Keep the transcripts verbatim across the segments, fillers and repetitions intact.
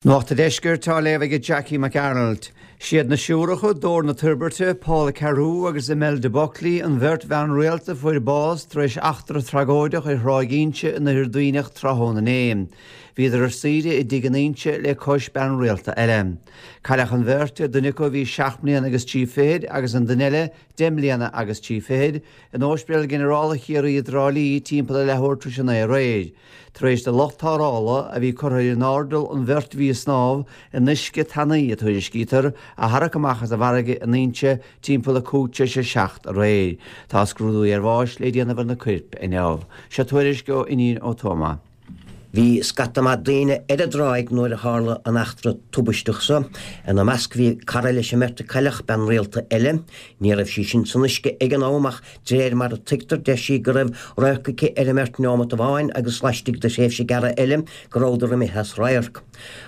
Nuacht an Deiscirt á léamh ag Jackie McArnold. Siad na siúracha Dór na Toirbhirte, Paula Carew agus Imelda Buckley an bheirt bhean rialta a fuair bás tar éis eachtra tragóideach ar Thráigh Inse in Oirthear Duibhneach tráthnóna inné. Bhíodar ar saoire i dtigh in Inse le cois bean rialta eile. Cailleadh an bheirt, duine acu a bhí seacht mbliana agus trí fichid agus an duine eile deich mbliana agus trí fichid, in Ospidéal Ginearálta Chiarraí i dTrá Lí timpeall a leathuair tar éis a naoi aréir. Tar éis do lucht tarrthála a bhí curtha ar an airdeall an bheirt a bhí ag snámh in uisce tanaí a tuairiscítear a tharrac amach as an bhfarraige in Inse timpeall a cúig tar éis a seacht aréir. Tá scrúdú iarbháis le déanamh ar na coirp inniu. Seo tuairisc ó Fhínín Ó Tuama. Bhí scata maith daoine ar an dtráigh nuair a tharla an eachtra tubaisteach seo. Ina measc bhí cara leis an mbeirt a cailleadh, bean rialta eile. Ní raibh sí sin san uisce ag an am ach de réir mar a tuigtear deir sí go raibh radharc aici ar an mbeirt neomat amháin agus laistigh de thréimhse gearr eile go rabhadar imithe as radharc.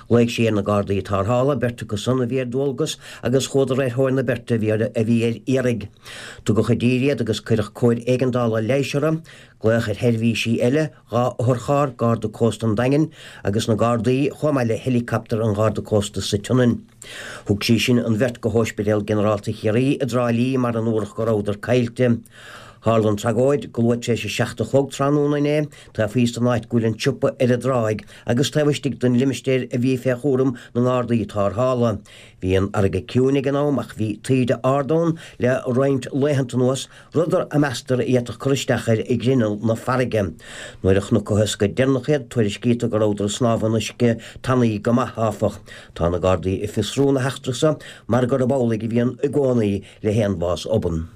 Ghlaoigh sí ar na gardaí tarrthála, beirt acu san a bhí ar dualgas agus chuadar ar thóir na beirte a bhí a bhí ar iarraidh. Tugadh i dtír iad agus cuireadh cóir éigeandála leighis orthu, glaodh ar sheirbhísí eile, dhá otharcharr, Garda Cósta an Daingin agus na Gardaí chomh maith le héileacaptar an Gharda Cósta sa tSionainn. Thug sí sin an bheirt go hOspidéal Ginearálta Chiarraí i dTrá Lí mar a ndúradh go rabhadar caillte. Tharla an tragóid go luath tar éis a seacht a chlog tráthnóna inné, taobh thíos den áit go bhfuil an siopa ar an dtráigh agus taobh istigh den limistéar a bhí fé chúram na nGardaí tarrthála. Bhí an fharraige ciúin ag an am ach bhí taoide ard ann le roinnt laethanta anuas, rud a meastar a d'fhéadfadh cur isteach ar ghrinneall na farraige. Nuair a chonacthas go deireanach iad, tuairiscítear go rabhadar ag snámh in uisce tanaí go maith, áfach. Tá na Gardaí ag fiosrú na heachtra seo mar gurb amhlaidh a bhíonn i gcónaí le haon bhás obann.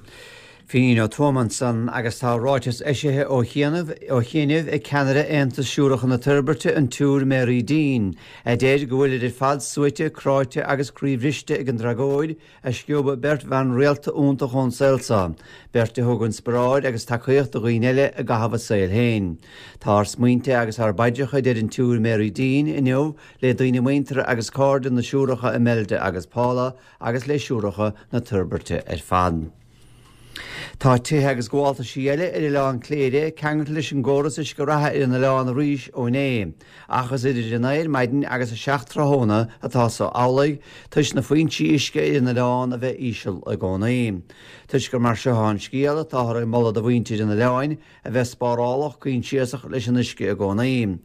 Fínín Ó Tuama ansan agus tá ráiteas eisithe ó chianaibh ó chianaibh ag ceannaire Aontas Siúracha na Toirbhirte an tSiúr Mary Dean, a deir go bhfuilid ar fad suaite, cráite agus croíbhriste ag an dtragóid a sciob beirt bhean rialta iontach ón saol seo, beirt a thug inspioráid agus tacaíocht do dhaoine eile i gcaitheamh a saoil féin. Tá ár smaointe agus ár bpaidreacha, a deir an tSiúr Mary Dean inniu le daoine muinteartha agus cairde na siúracha Imelda agus Paula agus le siúracha na Toirbhirte ar fad. Tá tithe agus gabháltaisí eile ar Oileán Cléire ceangailte leis an gcóras uisce reatha ar an oileán arís ó inné, ach is idir a naoi ar maidin agus a seacht tráthnóna atá so amhlaidh, toisc na foinsí uisce ar an oileán a bheith íseal i gcónaí. Toisc gur mar seo atá an scéal, táthar ag moladh do mhuintir an oileáin a bheith spárálach coinsiasach leis an uisce i gcónaí.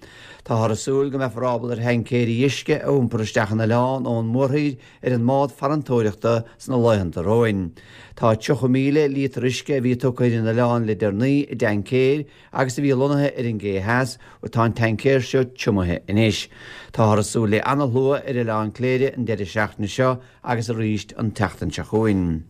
Táthar ag súil go mbeifear ábalta ar thaincéirí uisce a iompar isteach an oileán ón mórthír ar an mbád farantóireachta sna laethanta romhainn. Tá tríocha míle líotar uisce a bhí tugtha ar an oileán le deireanaí i dtaincéir agus a bhí lonnaithe ar an gcé theas, tá an taincéir seo triomaithe anois. Táthar ag súil le ana-shlua ar Oileán Cléire an deireadh seachtaine seo agus arís an tseachtain seo chugainn.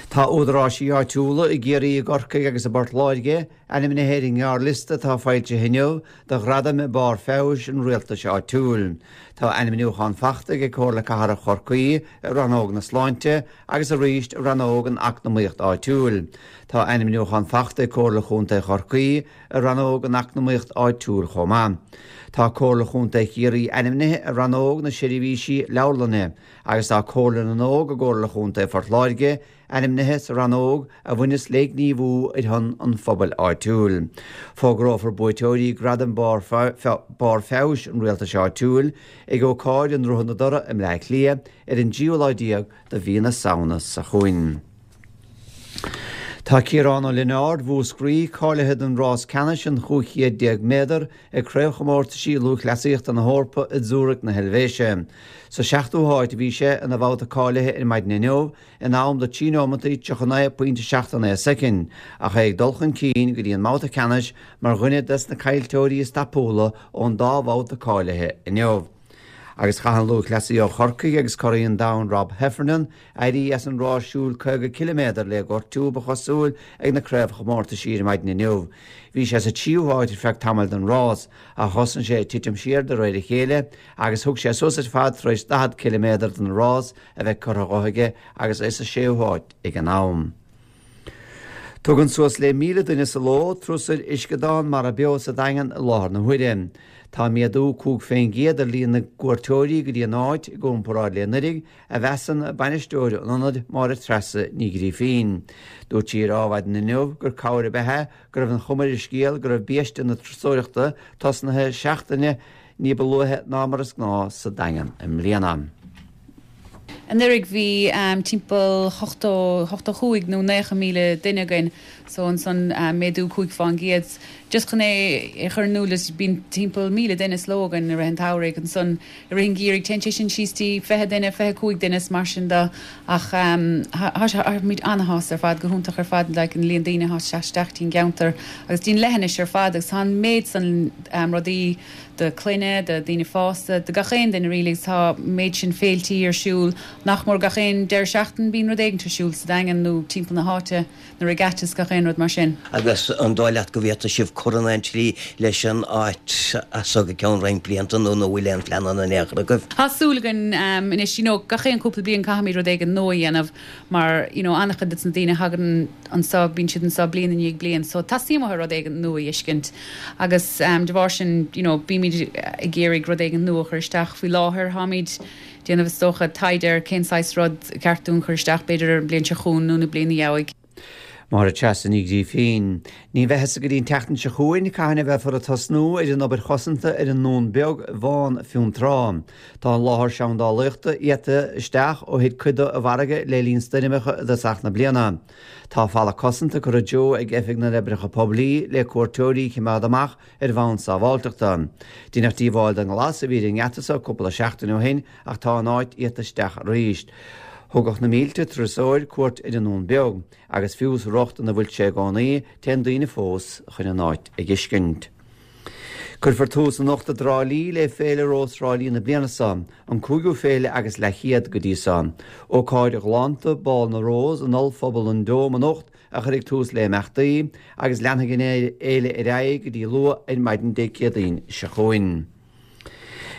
Tá údaráisí áitiúla i gCiarraí, i gCorcaigh agus i bPort Láirge ainmnithe ar an ngearrliosta atá foilsithe inniu do Ghradaim Barr Feabhais an Rialtais Áitiúil. Tá ainmniúchán faighte ag Comhairle Cathrach Chorcaí i rannóg na Sláinte agus arís i rannóg an Eacnamaíocht Áitiúil. Tá ainmniúchán faighte ag Comhairle Chontae Chorcaí i rannóg an Eacnamaíocht Áitiúil chomh maith. Tá Comhairle Chontae Chiarraí ainmnithe i rannóg na Seirbhísí Leabharlainne agus tá Comhairle na nÓg i gComhairle Chontae Phort Láirge ainmnithe sa rannóg a bhaineas le gníomhú ar shon an phobail áitiúil. Fógrófar buaiteoirí Gradam Barr Feabhais an Rialtais Áitiúil ag ócáid i nDroichead na Dothra i mBleá Cliath ar an dtríú lá déag de mhí na Samhna seo chugainn. Tá Ciarán Ó Lionáird Mhúscraí cáilithe don rás ceannais an chúig chéad déag méadar ag Craobhchomórtaisí Lúthchleasaíochta na hEorpa i Zurich na hEilvéise. Sa seachtú háit a bhí sé ina bhabhta cáilithe ar maidin inniu, in am de trí nóimeataí tríocha naoi pointe seacht naoi soicind, ach é ag dul chun cinn go dtí an mbabhta ceannais mar dhuine des na caillteoirí is tapúla ón dá bhabhta cáilithe inniu. Agus chaith an lúthchleasaí ó Chorcaigh agus curaidh an domhain Rob Heffernan éirí as an rás siúil caoga ciliméadar le gortú ba chosúil ag na craobhchomórtaisí ar maidin inniu. Bhí sé sa tríú háit ar feadh tamaill den rás, ach thosaigh sé ag titim siar de réir a chéile agus thug sé suas ar fad tar éis daichead ciliméadar den rás a bheith curtha dhe aige agus é sa séú háit ag an am. Tugann suas le míle duine sa ló turas ar uisceadán Mara Beo sa Daingean i láthair na huaire. Tá méadú cúig faoin gcéad ar líon na gcuairteoirí go dtí an áit i gcomparáid le anuraidh, a mheasann bainisteoir an ionaid Máire Treasa Ní Ghrífín. Dúirt sí ar Adhmhaidin inniu gur cabhair ab ea go raibh an chuma ar an scéal go raibh biaiste na turasóireachta tosnaithe seachtaine ní ba luaithe ná mar is gnáth sa Daingean i mbliana. Anuraidh bhí um, timpeall ochtó cúig nó nócha míle duine againn so ansan um, méadú cúig faoin gcéad. Just chun é chur in iúl bíonn timpeall míle duine sa ló againn i rith an tsamhraidh ansan i rith an gheimhridh téann sé sin síos dtí fiche duine fiche cúig duine mar sin de ach um, táimid an-shásta ar fad go hiontach ar fad like, an líon daoine atá isteach dtí'n gceantar agus dtí'n leithinis ar fad agus tá méid san um, rudaí do chlanna, do daoine fásta, do gach aon duine really tá méid sin féiltí ar siúl nach mór gach aon deireadh seachtaine bíonn rud éigin ar siúl sa Daingean nó timpeall na háite na regattas gach aon rud mar sin. Agus an dóigh leat go bhféadfadh sibh cur in aon tslí leis an áit as go ceann roinnt blianta nó nó bhfuil aon phlean in aon chor agaibh. Tá súil againn um, anois you know, gach aon cúpla bliain caithfimid rud éigin nua a dhéanamh mar you know, an-chuid de na daoine thagann anseo bíonn siad anseo bliain i ndiaidh bliain, so teastaíonn uathu rud éigin nua a fheiscint. Agus um, de bharr sin you know, bímid ag iarraidh rud éigin nua a chur isteach faoi láthair táimid déanamh is dócha taighde ar cén saghas rud ceart dúinn chur isteach b'fhéidir ar an bliain seo chugainn nó na bliain ina dhiaidh. Máire Treasa Ní Ghrífín. Ní bheidh go dtí an tseachtain seo chugainn cathain a bheifear ag tosnú ar an obair chosanta ar an nDún Beag Bhán Fionntrá. Tá an láthair seandálaíochta iata isteach ó thit cuid de i bhfarraige le linn stoirmeacha i dtosach na bliana. Tá falla cosanta curtha i dtreo ag Oifig na nOibreacha Poiblí le cuairteoirí a choimeád amach ar bhonn sábháilteachta. Deineadh díobháil don ghlas a bhí ar an ngeata seo cúpla seachtain ó shin ach tá an áit iata isteach arís. Thugadh na mílte turasóir cuairt ar an nDún Beag, agus fiú sa riocht ina bhfuil sé i gcónaí téann daoine fós chun an áit a fheiscint. Cuirfear tús anocht i dTrá Lí le Féile Rós Thrá Lí na bliana seo, an cúigiú féile agus leathchéad go dtí seo. Ócáid ghalánta Bál na Rós in Ollphuball an Dome anocht a chuirfidh tús le himeachtaí agus leanfaidh an fhéile ar aghaidh go dtí luath ar maidin Dé Céadaoin seo chugainn.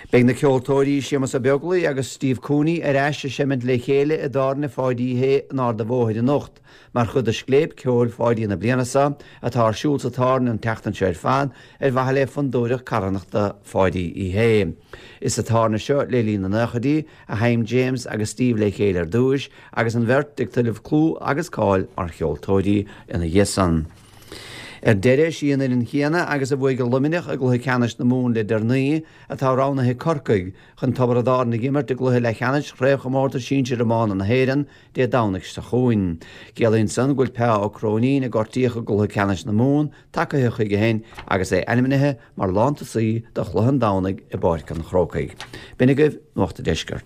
Beidh na ceoltóirí Séamus Ó Beaglaoich agus Steve Cooney ar ais ag seimint le chéile i dtábhairne Pháidí Uí Shé in Ard an Bhóthair anocht, mar chuid de Scléip Ceoil Pháidí na bliana seo atá ar siúl sa tábhairne an tseachtain seo ar fad ar mhaithe le Fondúireacht Carthanachta Pháidí Uí Shé. Is sa tábhairne seo le linn na nóchaidí a sheinn James agus Steve le chéile ar dtús agus an bheirt ag tuilleamh clú agus cáil mar cheoltóirí ina dhiaidh san. Ar deireadh sí an fhoireann chéanna agus a bhuaigh Luimneach i gcluiche ceannais na Mumhan le deireanaí atá roghnaithe ag Corcaigh chun Tiobraid Árann a imirt i gcluiche leathcheannais Chraobhchomórtas Sinsir Iomána na hÉireann Dé Domhnaigh seo chugainn. Ciallaíonn san go bhfuil Peá Ó Cróinín a gortaíodh i gcluiche ceannais na Mumhan tagtha chuige féin agus é ainmnithe mar lántosaí do chluiche an Domhnaigh i bPáirc an Chrócaigh. B'in agaibh Nuacht an Deiscirt.